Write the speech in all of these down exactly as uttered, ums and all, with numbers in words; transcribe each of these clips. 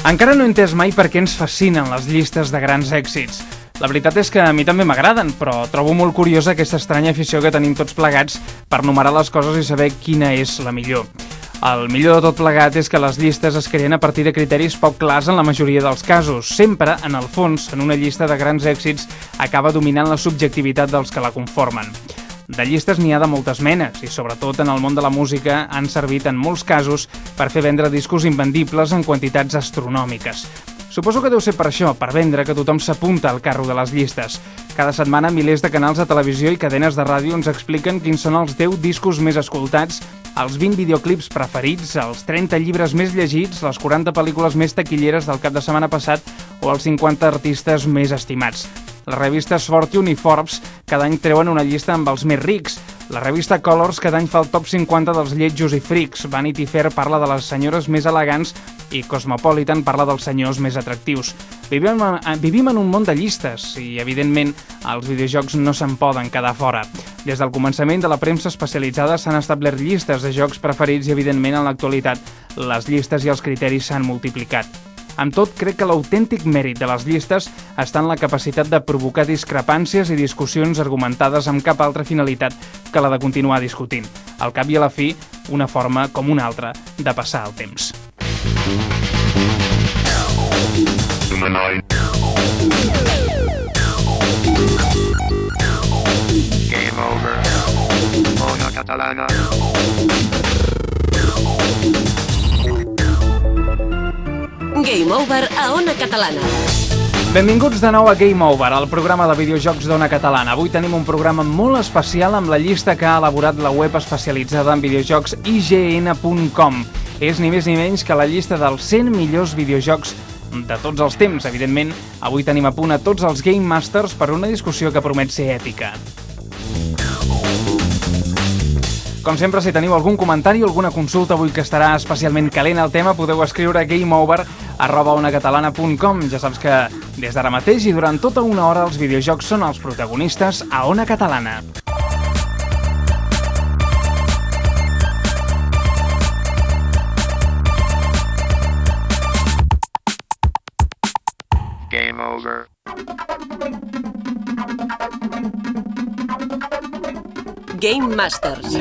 Encara no he entès mai per què ens fascinen les llistes de grans èxits. La veritat és que a mi també m'agraden, però trobo molt curiosa aquesta estranya afició que tenim tots plegats per numerar les coses i saber quina és la millor. El millor de tot plegat és que les llistes es creen a partir de criteris poc clars en la majoria dels casos. Sempre, en el fons, en una llista de grans èxits, acaba dominant la subjectivitat dels que la conformen. De llistes n'hi ha de moltes menes i, sobretot en el món de la música, han servit en molts casos per fer vendre discos invendibles en quantitats astronòmiques. Suposo que deu ser per això, per vendre, que tothom s'apunta al carro de les llistes. Cada setmana milers de canals de televisió i cadenes de ràdio ens expliquen quins són els deu discos més escoltats, els vint videoclips preferits, els trenta llibres més llegits, les quaranta pel·lícules més taquilleres del cap de setmana passat o els cinquanta artistes més estimats. Les revistes Fortune i Forbes cada any treuen una llista amb els més rics. La revista Colors cada any fa el top cinquanta dels lletjos i frics. Vanity Fair parla de les senyores més elegants i Cosmopolitan parla dels senyors més atractius. Vivim, vivim en un món de llistes i, evidentment, els videojocs no se'n poden quedar fora. Des del començament de la premsa especialitzada s'han establert llistes de jocs preferits i, evidentment, en l'actualitat, les llistes i els criteris s'han multiplicat. Amb tot, crec que l'autèntic mèrit de les llistes està en la capacitat de provocar discrepàncies i discussions argumentades amb cap altra finalitat que la de continuar discutint. Al cap i a la fi, una forma com una altra de passar el temps. Game over. Ona Catalana. Game Over a Ona Catalana. Benvinguts de nou a Game Over, el programa de videojocs d'Ona Catalana. Avui tenim un programa molt especial amb la llista que ha elaborat la web especialitzada en videojocs i ge ene punt com. És ni més ni menys que la llista dels cent millors videojocs de tots els temps. Evidentment, avui tenim a punt a tots els Game Masters per una discussió que promet ser èpica. Com sempre, si teniu algun comentari o alguna consulta avui que estarà especialment calent el tema, podeu escriure a gameover arroba onacatalana punt com. Ja saps que des d'ara mateix i durant tota una hora els videojocs són els protagonistes a Ona Catalana. Game over. Game Masters.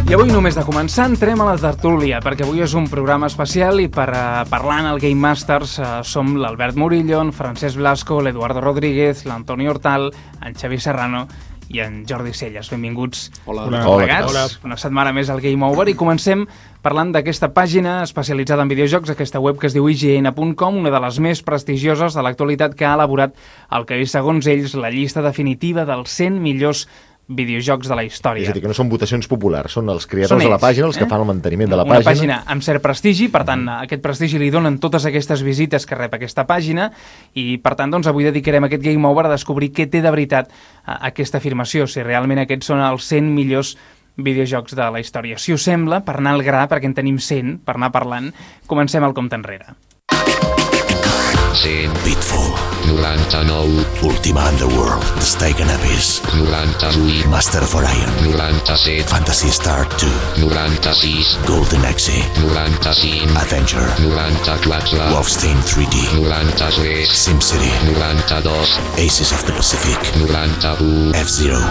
I avui, només de començar, entrem a la tertúlia, perquè avui és un programa especial i per uh, parlar en el Game Masters uh, som l'Albert Murillo, en Francesc Blasco, l'Eduardo Rodríguez, l'Antoni Hortal, en Xavi Serrano i en Jordi Celles. Benvinguts. Hola. Hola. Hola. Hola. Una setmana més al Game Over i comencem parlant d'aquesta pàgina especialitzada en videojocs, aquesta web que es diu i ge ene punt com, una de les més prestigioses de l'actualitat, que ha elaborat el que és, segons ells, la llista definitiva dels cent millors videojocs de la història. És a dir, que no són votacions populars, són els creadors són ells, de la pàgina, els eh? que fan el manteniment de la una pàgina. Una pàgina amb cert prestigi, per tant, aquest prestigi li donen totes aquestes visites que rep aquesta pàgina i, per tant, doncs, avui dedicarem aquest Game Over a descobrir què té de veritat aquesta afirmació, si realment aquests són els cent millors videojocs de la història. Si us sembla, per anar al gra, perquè en tenim cent, per anar parlant, comencem el compte enrere. cent. Pitfall. noranta-nou. Ultima Underworld. The Stake and Abyss. noranta-vuit. Master of Orion. noranta-set. Fantasy Star two. noranta-sis. Golden Axe. noranta-cinc. Avenger. noranta-quatre. Wolfenstein three D. noranta-tres. SimCity. noranta-dos. Aces of the Pacific. noranta-u. F-Zero.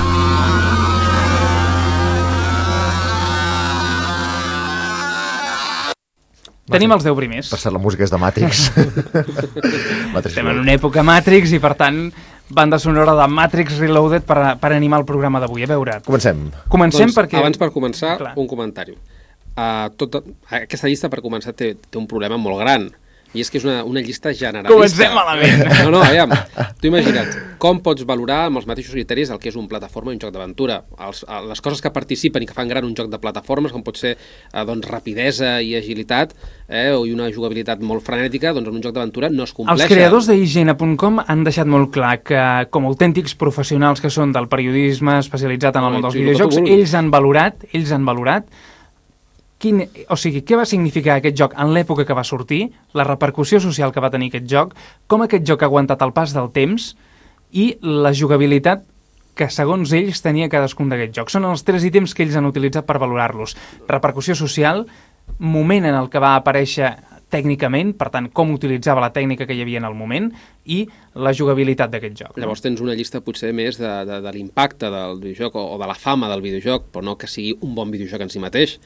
Tenim els deu primers. Per cert, la música és de Matrix. Matrix Estem en una època Matrix i, per tant, banda sonora de Matrix Reloaded per, per animar el programa d'avui. A veure... Comencem. Comencem doncs, perquè... Abans, per començar, Clar. un comentari. Uh, tota, aquesta llista, per començar, té, té un problema molt gran. I és que és una, una llista generalista. Comencem malament. No, no, aviam. Tu imagina't, com pots valorar amb els mateixos criteris el que és un plataforma i un joc d'aventura? Els, les coses que participen i que fan gran un joc de plataformes, com pot ser eh, doncs, rapidesa i agilitat, eh, o una jugabilitat molt frenètica, doncs en un joc d'aventura no es compleixen. Els creadors de i ge ene punt com han deixat molt clar que, com a autèntics professionals que són del periodisme especialitzat en el món dels videojocs, ells han valorat, ells han valorat Quin, o sigui, què va significar aquest joc en l'època que va sortir, la repercussió social que va tenir aquest joc, com aquest joc ha aguantat el pas del temps i la jugabilitat que, segons ells, tenia cadascun d'aquests jocs. Són els tres ítems que ells han utilitzat per valorar-los. Repercussió social, moment en el que va aparèixer tècnicament, per tant, com utilitzava la tècnica que hi havia en el moment i la jugabilitat d'aquest joc. No? Llavors tens una llista potser més de, de, de l'impacte del videojoc o, o de la fama del videojoc, però no que sigui un bon videojoc en si mateix.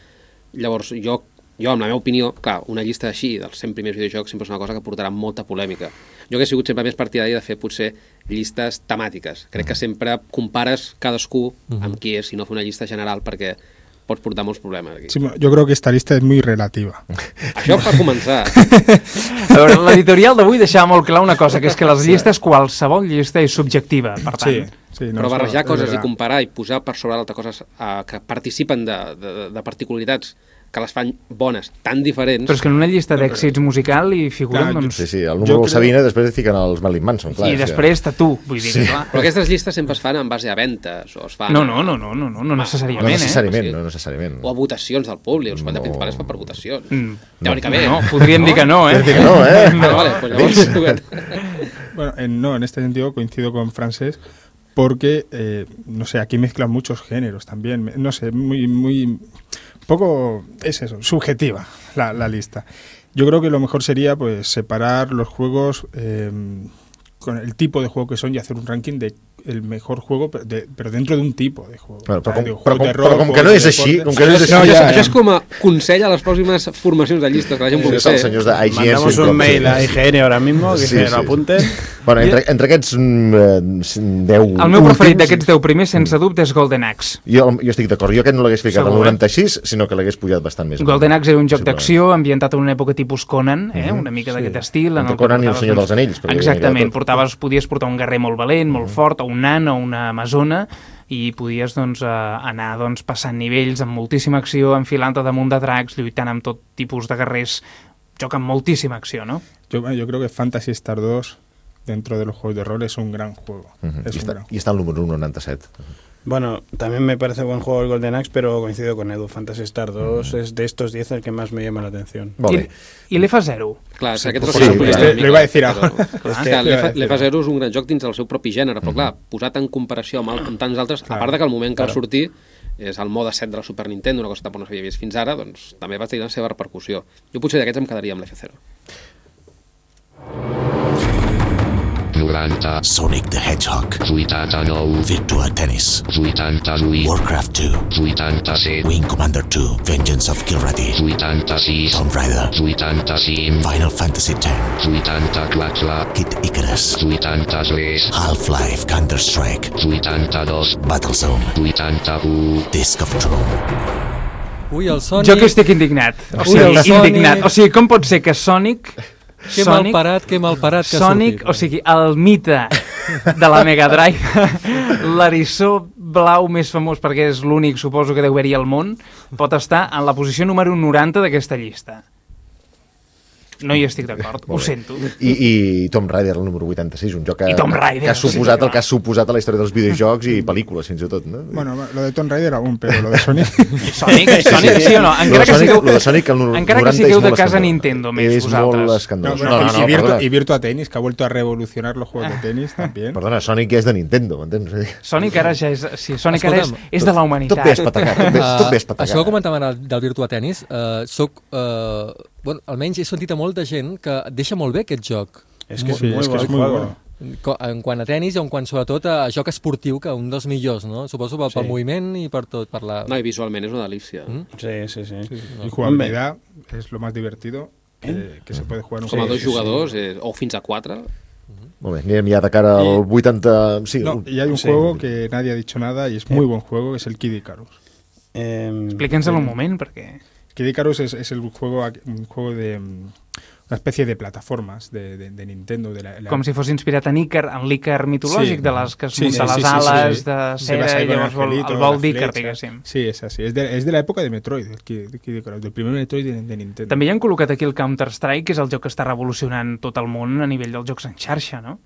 Llavors jo, jo amb la meva opinió, clar, una llista així dels cent primers videojocs sempre és una cosa que portarà molta polèmica. Jo que he sigut sempre més partidari de fer potser llistes temàtiques. Crec que sempre compares cadascú amb qui és, si no fer una llista general, perquè pots portar molts problemes aquí. Sí, yo creo que esta lista es muy relativa. Això per començar. A veure, l'editorial d'avui deixava molt clar una cosa, que és que les llistes, qualsevol llista és subjectiva, per tant. Sí, sí, no, Però barrejar eso, coses i comparar i posar per sobre l'altra coses uh, que participen de, de, de particularitats que les fan bones, tan diferents... Però és que en una llista d'èxits musical hi figuren, Clar, doncs... Sí, sí, el número del Sabina després et fiquen els Marilyn Manson, clar. I després està tu, vull dir, Sí. clar. Però aquestes llistes sempre es fan en base a ventes, o es fan... No, no, no, no, no, no, no No necessàriament, eh? necessàriament, Sí. no necessàriament. O a votacions del públic, els quants de No. principals es fan per votacions. Mm. Teòricament. No, podríem dir que no, eh? Dir que no, eh? Ah, vale, pues llavors tu Bueno, en, no, en este sentido coincido con Francesc porque, eh, no sé, aquí mezclan muchos géneros también, me- no sé, muy, muy, poco, es eso, subjetiva la, la lista. Yo creo que lo mejor sería, pues, separar los juegos eh, con el tipo de juego que son y hacer un ranking de el mejor juego, pero, de, pero dentro de un tipo de juego. Bueno, però, O sea, com, de però, juegos com, de però rol, com que juegos no de és així, deporte. com que no és així... No, això, ja, això ja. és com a consell a les pròximes formacions de llistes que la gent pugui Sí, els fer. senyors de I G N. Mandamos sí, un com- mail a I G N ahora mismo, que Sí, se sí. lo apunten. Bueno, entre, entre aquests mm, deu El meu preferit últims, d'aquests deu primers, sense dubte, és Golden Axe. Jo, jo estic d'acord, jo aquest no l'hagués ficat al Segur, eh? noranta-sis, sinó que l'hagués pujat bastant més. Golden Axe era un joc Sí, d'acció ambientat en una època tipus Conan, eh? una mica d'aquest estil. En Entre el que Conan i el portaves, Senyor doncs, dels Anells, perquè hi havia Exactament, tot. portaves, podies portar un guerrer molt valent, molt fort, o un nan, o una amazona, i podies doncs, eh, anar doncs, passant nivells amb moltíssima acció, enfilant-te damunt de dracs, lluitant amb tot tipus de guerrers, joc amb moltíssima acció, no? Yo, yo creo que Fantasy Star dos, dentro de los juegos de rol, es un gran juego. Mhm. Es I, un està, gran I està al número noranta-set. Bueno, también me parece buen juego el Golden Axe, pero coincido con Edu. Fantasy Star dos es de estos diez el que más me llama la atención. Molt I, bé. I l'E F A zero. Clar, sí, aquest sí, és el sí, que clar. Lo iba a decir però- ahora. Clar, Es que- que l'E F A lo iba a decir. zero és un gran joc dins del seu propi gènere, però clar, posat en comparació amb, el, amb tants altres, a part de que el moment que va sortir és el mode set de la Super Nintendo, una cosa que tampoc no s'havia vist fins ara, doncs també va tenir la seva repercussió. Jo potser d'aquests em quedaria amb l'E F zero. noranta, Sonic the Hedgehog, vuitanta-nou, Virtua Tennis, vuitanta-vuit, Warcraft two, vuitanta-set, Wing Commander two, Vengeance of Kilrathi, vuitanta-sis, Tomb Raider, vuitanta-cinc, Final Fantasy X, vuitanta-quatre, Kid Icarus, vuitanta-tres, Half-Life, Counter-Strike, vuitanta-dos, Battlezone, vuitanta-u, Disc of Doom. Ui, el Sonic... Jo que estic indignat. O Ui, sigui, el Sonic. indignat. O sigui, com pot ser que Sonic... Que Sonic, malparat, que malparat que ha Sonic, sortit. o sigui, el mite de la Mega Drive, l'eriçó blau més famós perquè és l'únic, suposo, que deu haver-hi al món, pot estar en la posició número noranta d'aquesta llista. No hi estic d'acord, ho sento. I, I Tomb Raider, el número vuitanta-sis, un joc que, I Tomb Raider, que ha suposat sí, el que ha suposat a la història dels videojocs i pel·lícules, fins i tot, no? Bueno, lo de Tomb Raider aún, pero lo de Sonic... Sonic, Sonic, sí o no? Lo Encara de que Sonic, sigueu, lo de Sonic, el encara que noranta sigueu és de molt casa escandalós. Nintendo més És vosaltres. molt No, escandalós. bueno, No, no, y, no, Virtua, perdona. y Virtua Tennis, que ha vuelto a revolucionar los juegos de tenis también. Perdona, Sonic ja és de Nintendo, m'entens? Sonic ara ja és... Sí, Sonic ara és, Escolta'm, és de la Tot humanitat. bé espatacat, tot bé, tot bé Uh, espatacat. això que comentàvem ara del Virtua Tennis, uh, soc, uh, bueno, almenys he sentit a molta gent que deixa molt bé aquest joc. Es que es Sí, muy es que buen es muy juego. bueno. Co- En quant a tenis i en quant sobretot a joc esportiu, que un dels millors, no? Suposo pel, pel Sí. moviment i per tot, per la... No, i visualment és una delícia. Mm? Sí, sí, sí. Y jugabilidad es lo más divertido que, que se puede jugar en un Com a juego. dos jugadors, eh, o fins a quatre. Molt bé, anirem ja de cara al I- vuitanta... Sí, No, un- y hay un Sí. juego que nadie ha dicho nada y es muy buen juego, que es el Kid Icarus. Eh, Explíquenselo un moment, perquè... Kid Icarus es, es el juego, un juego de mm, una especie de plataformas de, de, de Nintendo. De la, la- Com si fos inspirat en Icar, en l'Icar mitològic, Sí. de les que es Sí, munta sí, les sí, sí, ales sí. de Se cera basa i ahí con el llavors vol, angelito, el la vol d'Icar, flecha. diguéssim. Sí, es así. Es de, es de la época de Metroid, el Kid, el Kid Icarus, del primer Metroid de, de Nintendo. També hi han col·locat aquí el Counter-Strike, que és el joc que està revolucionant tot el món a nivell dels jocs en xarxa, no?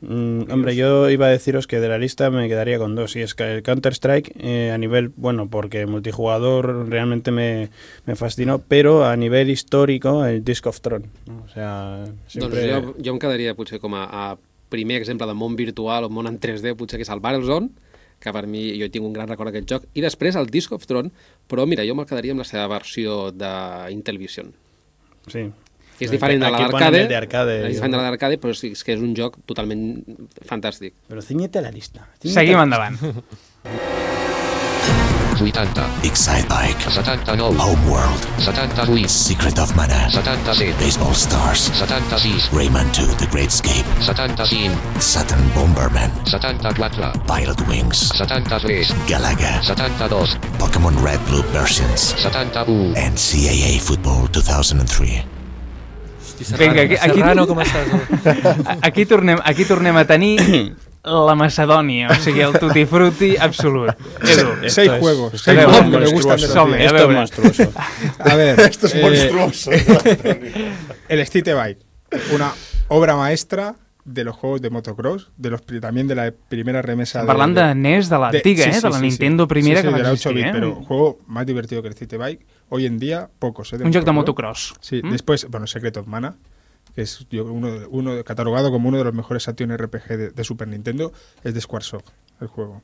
Mm, hombre, yo iba a deciros que de la lista me quedaría con dos. Y es que el Counter-Strike, eh, a nivel, bueno, porque multijugador realmente me, me fascinó, pero a nivel histórico, el Disc of Tron. ¿no? O sea, siempre... Doncs jo, jo em quedaria potser com a, a primer exemple de món virtual o món en tres D, potser que és el Battlezone, que per mi jo tinc un gran record d'aquest joc. I després el Disc of Tron, però mira, jo me'l quedaria amb la seva versió d'Intellivision. Sí. Que és diferent de Aquí ponen l'arcade, el de arcade, és diferent de l'arcade, però sí, és que és un joc totalment fantàstic. Però ciñete la lista. Seguim endavant. vuitanta. Excite Bike. setanta-nou. Homeworld. setanta-vuit. Secret of Mana. setanta-set. Baseball Stars. setanta-sis. Rayman two, The Great Escape. setanta-cinc. Saturn Bomberman. setanta-quatre. Pilot Wings. setanta-tres. Galaga. setanta-dos. Pokémon Red Blue versions. setanta-u. N C A A Football two thousand three. Hosti, Serrano, Vinga, aquí, aquí, Serrano, com estàs? aquí, tornem, aquí tornem a tenir la Macedònia, o sigui, el tutti frutti absolut. Edu, Seis es- juegos, esto seis es juegos que me monstruoso. gustan de los Som-hi, diez. a Esto es veure. monstruoso. A ver, Esto es eh, monstruoso. el Street Bike, una obra maestra de los juegos de motocross, de los pri- también de la primera remesa. parlant de N E S, de l'antiga, sí, eh, sí, de la sí, Nintendo sí. primera Sí, sí, que va de la existir, ocho bit, eh? pero juego más divertido que el Street Bike. Hoy en día, pocos, ¿eh? Un joc de motocross. motocross. Sí, Mm? después, bueno, Secret of Mana, que es yo, uno, de- uno de- catalogado como uno de los mejores action R P G de, de Super Nintendo, es de Squaresoft, el juego.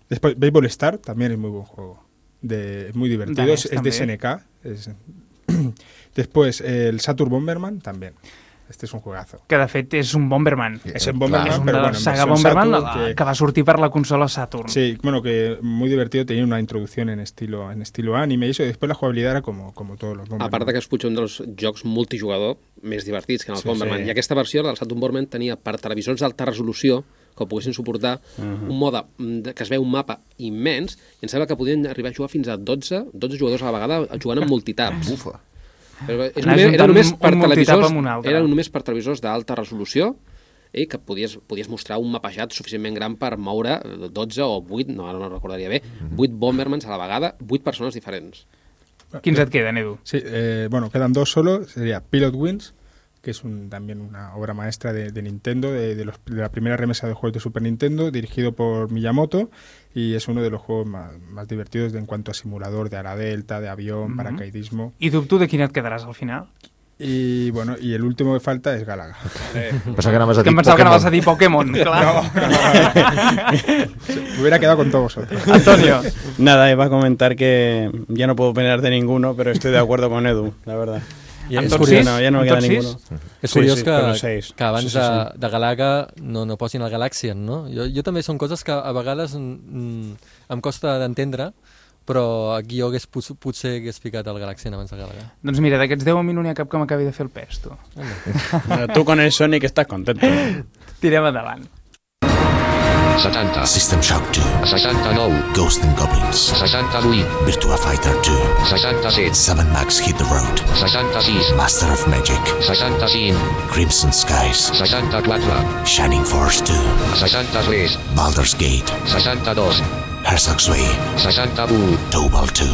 Después, Baseball Star también es muy buen juego. De, es muy divertido, De es, NES es de también. S N K. es- Después, el Saturn Bomberman también. Este es un juegazo. Que de fet és un Bomberman. Es en Bomberman, És una pero bueno, en saga versión Bomberman Saturn, la- que- que va sortir per la consola Saturn. Sí, bueno, que muy divertido, tenía una introducción en estilo en estilo anime y eso, y después la jugabilidad era como, como todos los Bomberman. A part que és potser un dels jocs multijugador més divertits que en el Sí, Bomberman. sí. I aquesta versió del Saturn Bomberman tenia per televisors d'alta resolució que ho poguessin suportar, Mhm. un mode mm, de- que es veu un mapa immens i em sembla que podien arribar a jugar fins a dotze, dotze jugadors a la vegada jugant en multitaps. Ufa. Però és Anar només, era juntant només un- per un multitap televisors, amb un altre. era només per televisors d'alta resolució i que podies, podies mostrar un mapejat suficientment gran per moure dotze o vuit, no, ara no recordaria bé, vuit Bombermans a la vegada, vuit persones diferents. Quins et queden, Edu? Sí, eh, bueno, quedan dos solo. Sería Pilot Wings, que es un, también una obra maestra de, de Nintendo, de, de los- de la primera remesa de juegos de Super Nintendo, dirigido por Miyamoto, y es uno de los juegos más, más divertidos de, en cuanto a simulador de ala delta, de avión, Mhm. paracaidismo. I dubto de quin et quedaràs al final. Y bueno, y el último que falta es Galaga. Pensava que anaves a Que dir em pensava que anaves a dir Pokémon. Pokémon, clar. Me hubiera quedado con todos vosotros. Antonio. Nada, iba a comentar que ya no puedo opinar de ninguno, pero estoy de acuerdo con Edu, la verdad. I Amb és tots curiós, sis? No, ya no me Amb queda tots ninguno. sis? és Sí, curiós sí, que, però seis. que abans Sí, sí, de, sí. de Galaga no, no posin el Galaxian, no? Jo, jo també són coses que a vegades mm, em costa d'entendre, però aquí jo hagués, pot- potser hagués ficat el Galaxian abans de Galaga. Doncs mira, d'aquests deu a mi no n'hi ha cap que m'acabi de fer el pes, tu. Bueno, tú con el Sonic estás contento. Tirem endavant. setanta. System Shock two. seixanta-nou. Ghost and Goblins. seixanta-vuit. Virtua Fighter two. seixanta-set. seven Max Hit the Road. seixanta-sis. Master of Magic. seixanta-cinc. Crimson Skies. seixanta-quatre. Shining Force two. seixanta-tres. Baldur's Gate. seixanta-dos. Herzog's Way. seixanta-u. Tobal two.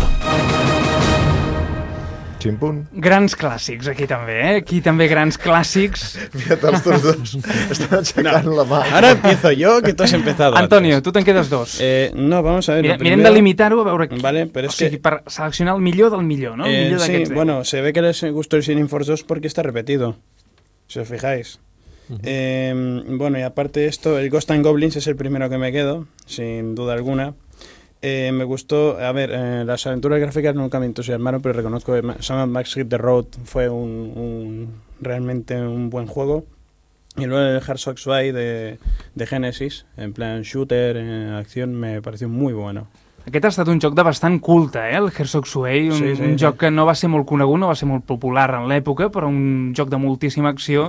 Ximpun. Grans clàssics, aquí també, eh? Aquí també grans clàssics. Mira't, els tots dos estan aixecant la mà. Ahora empiezo yo, que tú has empezado Antonio, antes. tu te'n quedes dos. Eh, no, vamos a ver. Mira, lo mirem primero- de limitar-ho a veure... qui- Vale, pero o es sigui, que... per seleccionar el millor del millor, no? El Eh, millor sí, d'aquests deu. bueno, se ve que les gustó el Shining Force dos porque está repetido, si os fijáis. Eh, bueno, y aparte de esto, el Ghost and Goblins es el primero que me quedo, sin duda alguna. Eh, me gustó, a ver, eh, las aventuras gráficas nunca me entusiasmaron, pero reconozco que Sam Max Hit the Road fue un, un- realmente un buen juego. Y luego el Herzog's Way de, de Genesis, en plan shooter, en acción, me pareció muy bueno. Aquest ha estat un joc de bastant culte, eh? El Herzog's Way, un, Sí, sí, un sí. joc que no va ser molt conegut, no va ser molt popular en l'època, però un joc de moltíssima acció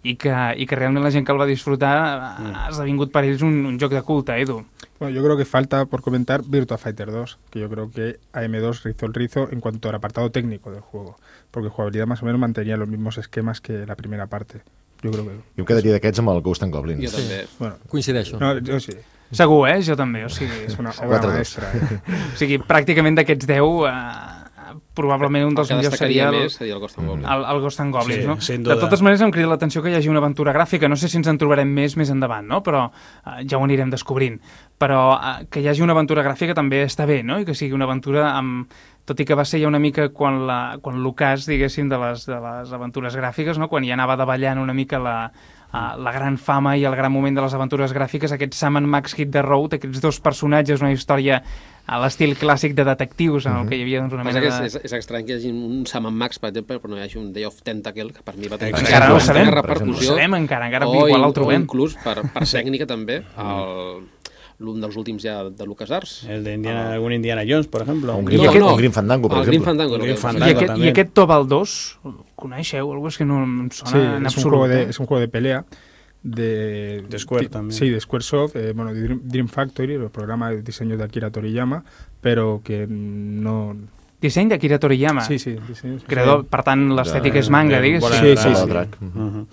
i que, i que realment la gent que el va disfrutar ha esdevingut per ells un, un joc de culte, Edu. Bueno, yo creo que falta por comentar Virtua Fighter dos, que yo creo que A M dos rizó el rizo en cuanto al apartado técnico del juego, porque jugabilidad más o menos mantenía los mismos esquemas que la primera parte. Yo creo que... Jo em quedaria d'aquests amb el Ghost and Goblins. Jo també. Bueno, Coincideixo. no, yo sí. Segur, eh? Jo també, o sigui... Es una obra Quatre dos. maestra. eh. O sigui, pràcticament d'aquests deu, eh, probablement un dels El que millors destacaria seria el, més seria el Ghost and Goblins. el, el Ghost and Goblins, Sí, no? sin De duda. totes maneres, em crida l'atenció que hi hagi una aventura gràfica. No sé si ens en trobarem més més endavant, no? Però eh, ja ho anirem descobrint. Però eh, que hi hagi una aventura gràfica també està bé, no? I que sigui una aventura amb... Tot i que va ser ja una mica quan la, quan l'ocàs, diguéssim, de les, de les aventures gràfiques, no? Quan ja anava davallant una mica la, uh, la gran fama i el gran moment de les aventures gràfiques, aquest Sam and Max Hit the Road, aquests dos personatges, una història a l'estil clàssic de detectius, en el que hi havia doncs, una mena de... de... És, és estrany que hi hagi un Sam and Max, per exemple, però no hi hagi un Day of Tentacle, que per mi va tenir encara no ho sabem, repercussió. No sabem encara, encara igual el trobem. O inclús, per, per tècnica també, el... l'un dels últims ja de LucasArts. El de Indiana, ah. algun Indiana Jones, per exemple. Un Grim, no, no. un Grim Fandango, per el exemple. Grim Fandango, Grim Fandango I, aquest, I aquest Tobal dos, el coneixeu? Algo és que no em sona sí, en es absolut. Un juego de, es un juego de pelea de, de Square también. Sí, de Squaresoft, eh, bueno, de Dream, Dream Factory, el programa de diseño de Akira Toriyama, pero que no... Disseny d'Akira Toriyama? Sí, sí. Disseny, Creador, per tant, l'estètica és manga, digues? Sí, sí, sí. Uh-huh.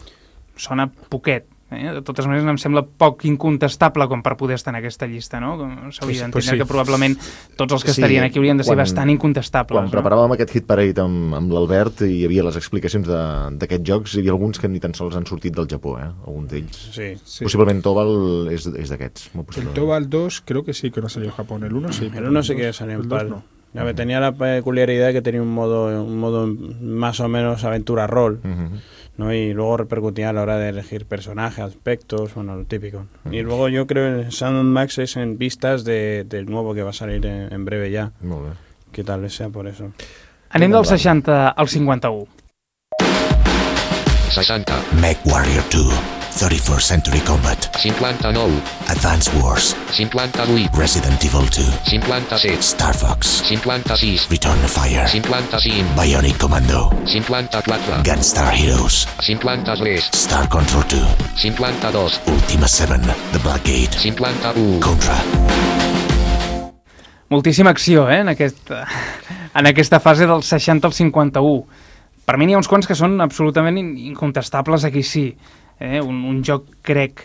Sona poquet. Eh? De totes maneres, em sembla poc incontestable com per poder estar en aquesta llista, no? S'hauria d'entendre pues sí. que probablement tots els que sí, estarien aquí haurien de ser quan, bastant incontestables. Quan no? preparàvem aquest Hit Parade amb, amb l'Albert hi havia les explicacions d'aquests jocs, hi havia alguns que ni tan sols han sortit del Japó, eh? Alguns d'ells. Sí, sí. Posiblement Tobal és, és d'aquests. El Tobal dos creo que sí que no salió en Japón, el uno sí. El uno sí que salió en PAL. No. Ya me tenía la peculiaridad que tenía un modo, un modo más o menos aventura rol, uh-huh. ¿no? Y luego repercutía a la hora de elegir personajes, aspectos, bueno, lo típico. Uh-huh. Y luego yo creo que el Sam and Max es en vistas de, del nuevo que va a salir en, en breve ya. Molt bé. Que tal vez sea por eso. Anem del seixanta al cinquanta-u. seixanta. Mech Warrior two. thirty-first Century Combat. cinquanta-nou. Advance Wars. cinquanta-vuit. Resident Evil two. cinquanta-set. Star Fox. cinquanta-sis. Return to Fire. cinquanta-cinc. Bionic Commando. cinquanta-quatre. Gunstar Heroes. cinquanta-tres. Star Control two. cinquanta-dos. Ultima seven. The Black Gate. cinquanta-u. Contra. Moltíssima acció, eh, en, aquest, en aquesta fase del seixanta al cinquanta-u. Per mi n'hi ha uns quants que són absolutament incontestables, aquí sí. Eh? Un, un joc, crec,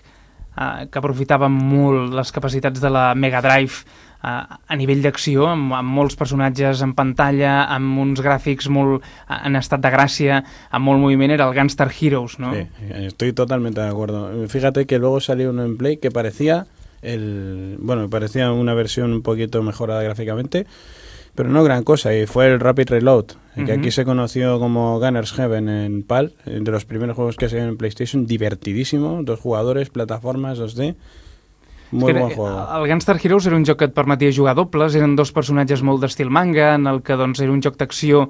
eh, que aprofitava molt les capacitats de la Mega Drive eh, a nivell d'acció, amb, amb molts personatges en pantalla, amb uns gràfics molt en estat de gràcia, amb molt moviment, era el Gunstar Heroes, ¿no? Sí, estoy totalmente de acuerdo. Fíjate que luego salió uno en Play que parecía el, bueno, parecía una versión un poquito mejorada gráficamente, pero no gran cosa, y fue el Rapid Reload, uh-huh. que aquí se conoció como Gunner's Heaven en PAL, de los primeros juegos que se ven en PlayStation, divertidísimo, dos jugadores, plataformas dos D, muy buen juego. El Gunstar Heroes era un joc que et permetia jugar dobles, eren dos personatges molt d'estil manga, en el que doncs, era un joc d'acció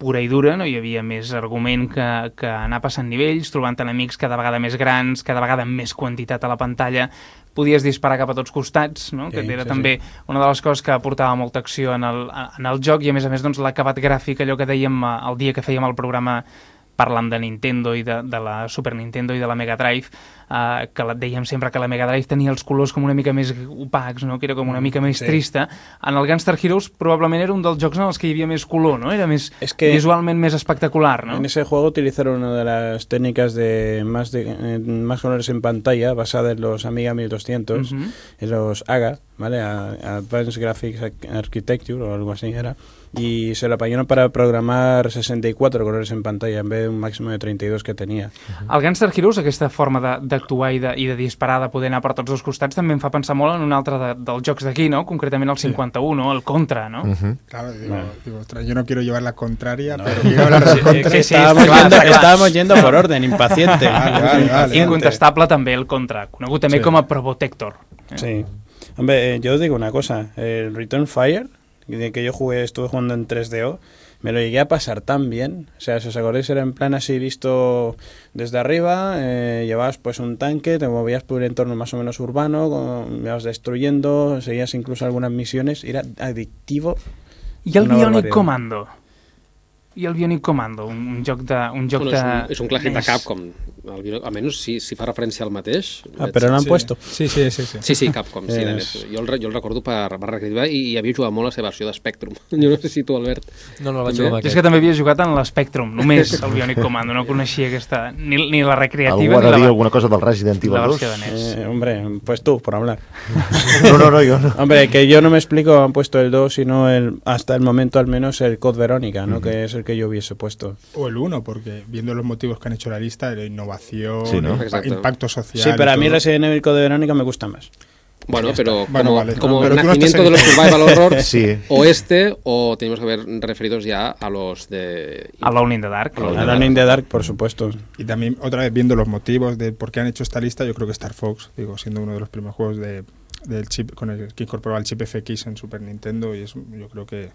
pura i dura, no hi havia més argument que, que anar passant nivells, trobant enemics cada vegada més grans, cada vegada amb més quantitat a la pantalla, podies disparar cap a tots costats, no? Sí, que era sí, també sí. una de les coses que aportava molta acció en el, en el joc, i a més a més doncs, l'acabat gràfic, allò que dèiem el dia que fèiem el programa parlant de Nintendo i de, de la Super Nintendo i de la Mega Drive, eh, que la, dèiem sempre que la Mega Drive tenia els colors com una mica més opacs, no? Que era com una mica més sí. trista. En el Gunstar Heroes probablement era un dels jocs en els que hi havia més color, no? Era més es que visualment més espectacular, ¿no? En ese juego utilizaron una de las técnicas de más, de, eh, más colores en pantalla, basada en los Amiga mil doscientos, uh-huh. en los A G A, ¿vale? Advanced Graphics Architecture o algo así era. Y se lo apañaron para programar sesenta y cuatro colores en pantalla en vez de un máximo de treinta y dos que tenia. Uh-huh. El Gunstar Heroes, aquesta forma d'actuar i, de, i de disparar, de poder anar per tots dos costats, també em fa pensar molt en un altre de, dels jocs d'aquí, ¿no? Concretament el cinquanta-u, ¿no? El Contra, ¿no? Uh-huh. Claro, digo, no. digo, ostras, yo no quiero llevar la contraria, no. pero quiero hablar del Contra. Sí, sí, estábamos, clar, yendo, clar. estábamos yendo por orden, impaciente. Vale, vale, vale. Incontestable també el Contra, conegut també sí. com a Probotector. Eh? Sí. Hombre, eh, yo os digo una cosa, el Return Fire, de que yo jugué, estuve jugando en tres D O, me lo llegué a pasar tan bien. O sea, si os acordáis, era en plan así visto desde arriba, eh, llevabas pues un tanque, te movías por un entorno más o menos urbano, con, ibas destruyendo, seguías incluso algunas misiones, era adictivo. I el Bionic Commando? I el Bionic Commando, un, un joc de... Un joc bueno, de... És un, un clàssic de Capcom, el, almenys si, si fa referència al mateix. Ah, però l'han sí. puesto. Sí, sí, sí. Sí, sí, sí Capcom, sí. Es... Jo, el, jo el recordo per, per recreativa i, i havia jugat molt a la seva versió de Spectrum. Jo no sé si tu, Albert... No, no, vaig jugar amb aquest. És que també havia jugat en l'Spectrum, només el Bionic Commando, no coneixia aquesta... Ni, ni la recreativa Algú ha de ni dir la... alguna cosa del Resident Evil dos? Eh, hombre, pues tú, por hablar. No, no, no, yo no. Hombre, que yo no me explico, han puesto el dos, sino el, hasta el momento al menos el Code Verónica, ¿no? Uh-huh. Que es el que yo hubiese puesto. O el uno, porque viendo los motivos que han hecho la lista, la innovación, sí, ¿no? el impacto social... Sí, pero a mí Resident Evil Code Verónica me gusta más. Bueno, pero Bueno, como, vale. como Pero tú no nacimiento estás de los survival horror, Sí. o este, o tenemos que ver referidos ya a los de... Alone in the Dark. Alone in the Alone in the Dark, por supuesto. Y también, otra vez, viendo los motivos de por qué han hecho esta lista, yo creo que Star Fox, digo, siendo uno de los primeros juegos de, del chip con el que incorporaba el chip F X en Super Nintendo, y es, yo creo que,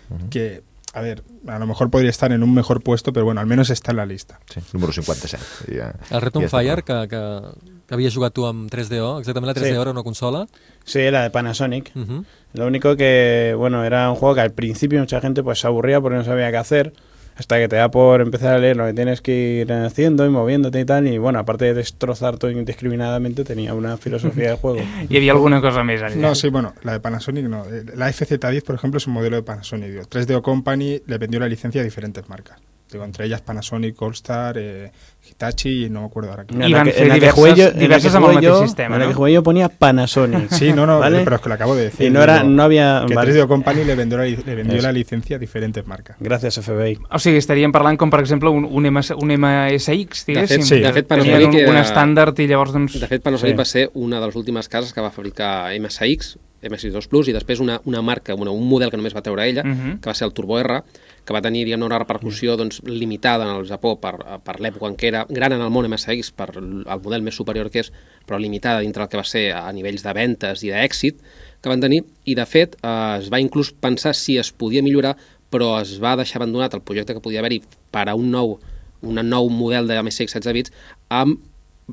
uh-huh. que, a ver, a lo mejor podría estar en un mejor puesto, pero bueno, al menos está en la lista. Sí, número cinquanta-set. Ja, el Return ja Fire, que, que, que havia jugat tu amb tres D O, exactament la tres D O sí. Era una consola. Sí, era de Panasonic. Uh-huh. Lo único que, bueno, era un juego que al principio mucha gente pues se aburría porque no sabía qué hacer, hasta que te da por empezar a leer lo que tienes que ir haciendo y moviéndote y tal, y bueno, aparte de destrozar todo indiscriminadamente, tenía una filosofía de juego. ¿Y había alguna cosa más allá? No, sí, bueno, la de Panasonic no. La F Z diez, por ejemplo, es un modelo de Panasonic. Digo, tres D O Company le vendió la licencia a diferentes marcas. Digo, entre ellas Panasonic, All-Star, eh, Hitachi y no me acuerdo ahora. I van fer diverses, diverses amb el mateix sistema, en la ¿no? que jugué yo ponía Panasonic. Sí, no, no, ¿vale? pero es que lo acabo de decir. Y no, era, no había... Que vale. tres D O Company le vendió, la, le vendió Eso. la licencia a diferentes marcas. Gracias, F B I. O sigui, estaríem parlant com, per exemple, un, un, M S, un M S X, diguéssim. De fet, sí. de fet Tenien un, era... un estàndard i llavors, doncs... De fet, Panasonic sí. va ser una de les últimes cases que va fabricar M S X, M S X dos Plus, i després una, una marca, una, un model que només va treure ella, Uh-huh. que va ser el Turbo R, que va tenir diguem, una repercussió doncs, limitada en el Japó per, per l'època en què era gran en el món M S X, per el model més superior que és, però limitada dintre el que va ser a nivells de ventes i d'èxit que van tenir, i de fet eh, es va inclús pensar si es podia millorar, però es va deixar abandonat el projecte que podia haver-hi per a un nou, un nou model de M S X setze bits amb,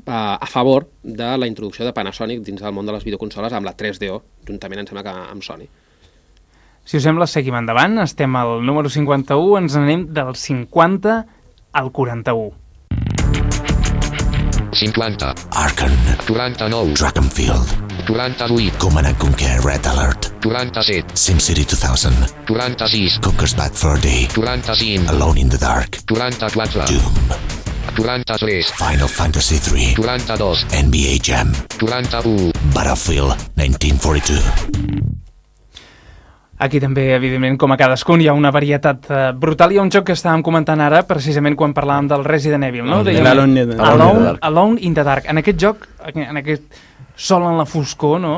eh, a favor de la introducció de Panasonic dins del món de les videoconsoles amb la tres D O, juntament em sembla que amb Sony. Si us sembla, seguim endavant. Estem al número cinquanta-u, ens anem del cinquanta al quaranta-u. cinquanta. Arkham. quaranta-nou. Dragonfield. quaranta-vuit. Command and Conquer Red Alert. quaranta-set. SimCity two thousand. quaranta-sis. Conker's Bad Fur Day. quaranta-cinc. Alone in the Dark. quaranta-quatre. Doom. quaranta-tres. Final Fantasy three. quaranta-dos. N B A Jam. quaranta-u. Battlefield nineteen forty-two. Aquí també, evidentment, com a cadascun, hi ha una varietat uh, brutal. Hi ha un joc que estàvem comentant ara, precisament quan parlàvem del Resident Evil, no? Dèiem, Alone, in the Alone, Alone in the Dark. En aquest joc, en aquest sol en la foscor, no?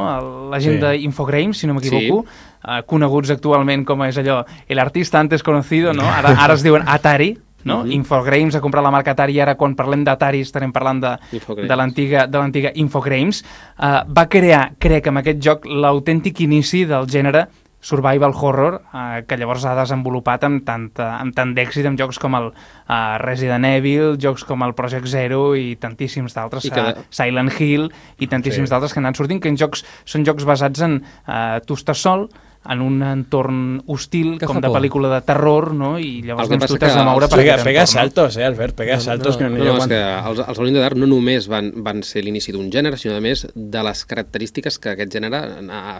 La gent sí. d'Infogrames, si no m'equivoco, sí. uh, coneguts actualment com és allò, el artista antes conocido, no? Ara, ara es diuen Atari, no? Mm-hmm. Infogrames ha comprat la marca Atari i ara quan parlem d'Atari estarem parlant de, de l'antiga de l'antiga Infogrames. Uh, va crear, crec, amb aquest joc l'autèntic inici del gènere survival horror, eh, que llavors ha desenvolupat amb tant, amb tant d'èxit en jocs com el eh, Resident Evil, jocs com el Project Zero i tantíssims d'altres, cada... uh, Silent Hill i tantíssims sí. d'altres que n'han sortint, que en jocs, són jocs basats en eh, tu estàs sol, en un entorn hostil, que com de por. Pel·lícula de terror, no? I llavors doncs, tu t'has de moure per pega, aquest pega entorn. saltos, eh, Albert, pega no, saltos. No, que no, no, no, no és que els, els Alone in the Dark no només van, van ser l'inici d'un gènere, sinó a més de les característiques que aquest gènere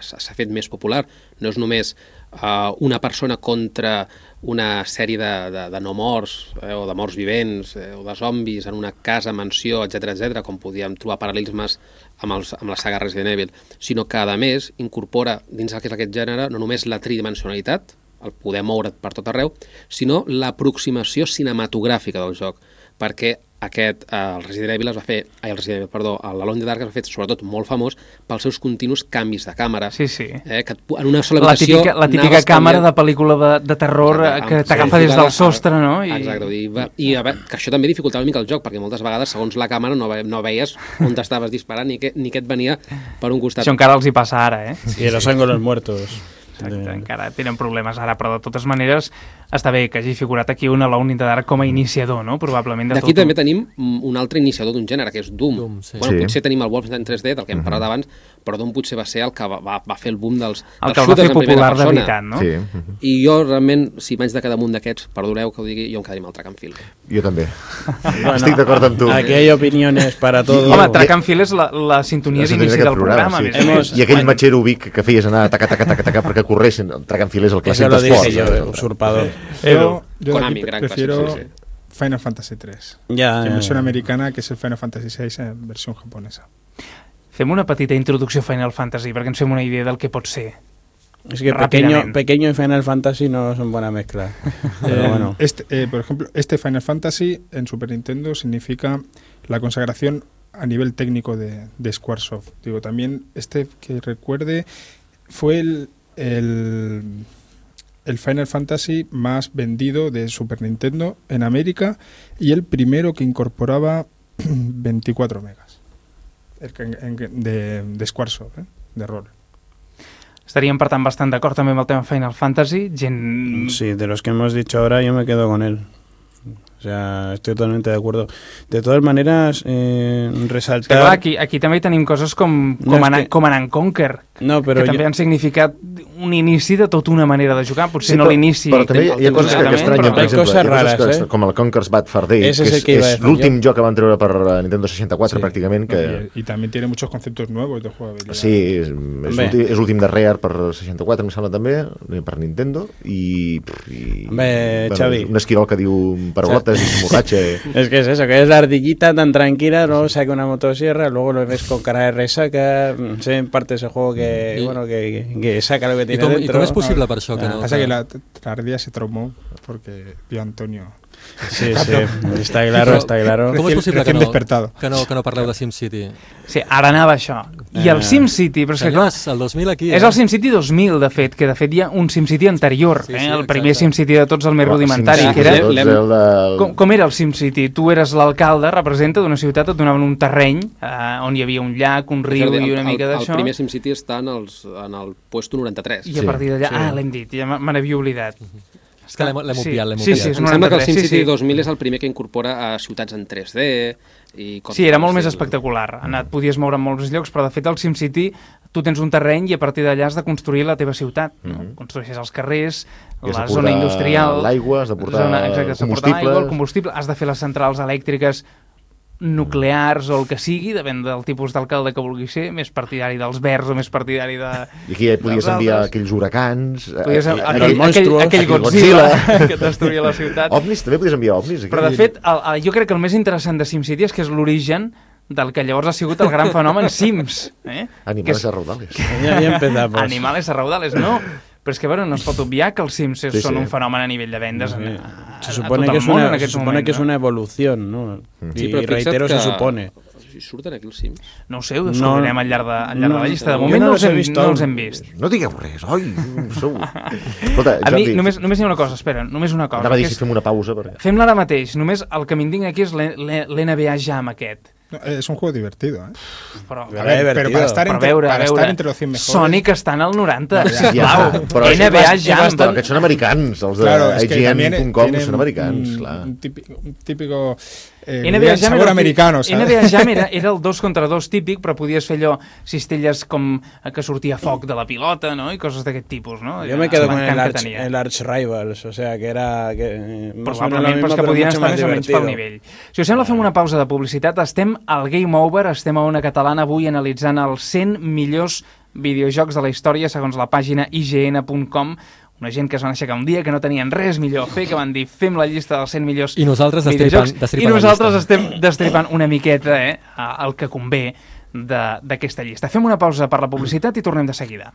s'ha fet més popular. No és només uh, una persona contra una sèrie de, de, de no morts, eh, o de morts vivents, eh, o de zombis en una casa, mansió, etcètera, etcètera, com podíem trobar paral·lelismes amb, els, amb la saga Resident Evil, sinó que, a més, incorpora dins el que és aquest gènere no només la tridimensionalitat, el poder moure't per tot arreu, sinó l'aproximació cinematogràfica del joc, perquè aquest, eh, el Resident Evil es va fer, ai, el Resident Evil, perdó, l'Alone in the Dark es va fer sobretot molt famós pels seus continus canvis de càmera. Sí, sí. Eh, que en una sola la habitació... Típica, la típica càmera de pel·lícula de, de terror exacte, que t'agafa des del sostre, no? I... Exacte, i, va, i a veure, que això també dificultava una mica el joc, perquè moltes vegades, segons la càmera, no, ve, no veies on t'estaves disparant ni que, ni que et venia per un costat. Això encara els hi passa ara, eh? Sí, sí. Los ángulos muertos. Exacte, de... encara tenen problemes ara, però de totes maneres està bé que hagi figurat aquí un Alone in the Dark com a iniciador, no? Probablement de tot. D'aquí també tenim un altre iniciador d'un gènere, que és Doom. Doom sí. Bueno, sí. Potser tenim el Wolfenstein tres D, del que hem parlat abans, però Doom potser va ser el que va, va, va fer el boom dels, el dels que el va fer popular de veritat, no? Sí. I jo realment, si m'haig de quedar damunt d'aquests, perdoneu que ho digui, jo em quedaria amb el Track and Field. Jo també. Bueno, estic d'acord amb tu. Aquí hay opiniones para todo. Home, Track and Field és la, la sintonia d'inici del programa. Sí. Hemos... I aquell matxero Vic que feies anar taca, taca, taca, taca, perquè corressin. El Track and Field és el clàssic d'esports. Eso lo dije yo, usurpador. Yo, yo Konami, pre gran prefiero clásico, sí, sí. Final Fantasy tres. Ya, que ya, versión ya. americana, que es el Final Fantasy seis en versión japonesa. Fem una petita introducció a Final Fantasy perquè ens fem una idea del que pot ser. Es que pequeño, pequeño y Final Fantasy no son buena mezcla. Pero eh, bueno. Este, eh, por ejemplo, este Final Fantasy en Super Nintendo significa la consagración a nivel técnico de, de Squaresoft. Digo, también este que recuerde fue el, el, el Final Fantasy más vendido de Super Nintendo en América y el primero que incorporaba veinticuatro megas el que, en, de, de Squaresoft, eh? de rol. Estaríem, per tant, bastant d'acord també amb el tema Final Fantasy. Gent... Sí, de los que hemos dicho ahora yo me quedo con él. O sea, estoy totalmente de acuerdo. De todas maneras, eh, resaltar... Que, clar, aquí, aquí també tenim coses com, com, no, anar, que... com anar en Conquer, no, però que també jo... han significat un inici de tota una manera de jugar. Potser sí, no l'inici... Però també hi ha coses que, que estranyen, per exemple. Hi ha rares, coses que, eh? com el Conker's Bad Fur Day, Ese que es, és, que és l'últim joc que van treure per Nintendo seixanta quatre, sí, pràcticament. Que... Y, y también tiene muchos conceptos nuevos de jugabilidad. Sí, és, és l'últim de Rare per seixanta quatre, em sembla també, per Nintendo, i... i Bé, bueno, Xavi. Un esquirol que diu paraulotes i s'emborratxa. Es que es eso, que es la ardillita tan tranquila, luego saca una motosierra, luego lo ves con cara de resaca, sé en parte ese juego que, I, bueno, que, que saca lo que tiene i com, dentro. I com és possible per això? Que no, Pasa que... que la, la ardilla se traumó porque vio a Antonio. Sí, sí, està claro, està claro. Com és possible que no, despertado. que, no, que no parleu de SimCity? Sí, ara anava això. I el SimCity, però és que clar... el dos mil aquí, és eh? el SimCity dos mil, de fet, que de fet hi ha un SimCity anterior, sí, eh? sí, el exacte. primer SimCity de tots, el més rudimentari, que era... Del... Com, com era el SimCity? Tu eres l'alcalde, representa d'una ciutat, et donaven un terreny eh, on hi havia un llac, un riu el, i una mica d'això. El primer SimCity està en, els, en el puesto noranta-tres. I a partir d'allà... Sí. Ah, l'hem dit, ja me n'havia oblidat. És que l'hem obviat, l'hem sí, obviat. sí, em sembla que el SimCity sí, sí. dos mil és el primer que incorpora a ciutats en tres D i coses. Sí, era molt més espectacular. Et podies moure en molts llocs, però de fet al SimCity tu tens un terreny i a partir d'allà has de construir la teva ciutat. No? Mm-hmm. Construeixes els carrers, la zona industrial... l'aigua, has de portar zona, exacte, has de portar l'aigua, el combustible, has de fer les centrals elèctriques nuclears o el que sigui, depèn del tipus d'alcalde que vulgui ser, més partidari dels verds o més partidari de... I aquí ja podies enviar aquells huracans... Podies, eh, aquell, aquell, aquell Godzilla, Godzilla que destruïa la ciutat. Ovnis, també podies enviar ovnis. Aquí. Però de fet, el, el, jo crec que el més interessant de SimCity és que és l'origen del que llavors ha sigut el gran fenomen Sims. Eh? Animales a raudales. Ja, ja empezamos. Animales a raudales, no. Però és que, bueno, no es pot obviar que els Sims sí, són sí. un fenomen a nivell de vendes sí. a, a, se supone a tot que el món una, en aquest se supone moment. que és una evolució, no? Sí, I reitero, que... se supone. Si surten aquí els Sims? No ho sé, ho descobrirem no, al llarg de, al llarg no, de la llista. De no, moment no, no, els hem, vist no els hem vist. No digueu res, oi? Sou... Escolta, a mi només, només hi ha una cosa, espera, només una cosa. Anava a dir si fem una pausa. Perquè... Fem-la ara mateix, només el que m'indigna aquí és l'N B A Jam aquest. No, es un juego divertido, ¿eh? Però, a ver, pero para estar, entre, veure, para veure. estar entre los cien mejores... Sonic està en el noranta, ja, sisplau. Ja, però N B A Jam. Però aquests són americans, els de claro, I G N punt com són americans, un, clar. Un típico... Un típico eh, N B A Jam era, americano, ¿sabes? N B A Jam era, era el dos contra dos típic, però podies fer allò, cistelles com que sortia foc de la pilota, no? I coses d'aquest tipus, no? Jo me quedo con el Arch, el Arch Rivals, o sea, que era... Que, probablement, però és que podien estar més o menys pel nivell. Si us sembla, fem una pausa de publicitat. Estem al Game Over, estem a Ona Catalana avui analitzant els cent millors videojocs de la història segons la pàgina I G N punt com. Una gent que es van aixecar un dia, que no tenien res millor a fer, que van dir fem la llista dels cent millors I nosaltres videojocs. Destripant, I nosaltres estem destripant una miqueta eh, el que convé d'aquesta llista. Fem una pausa per la publicitat i tornem de seguida.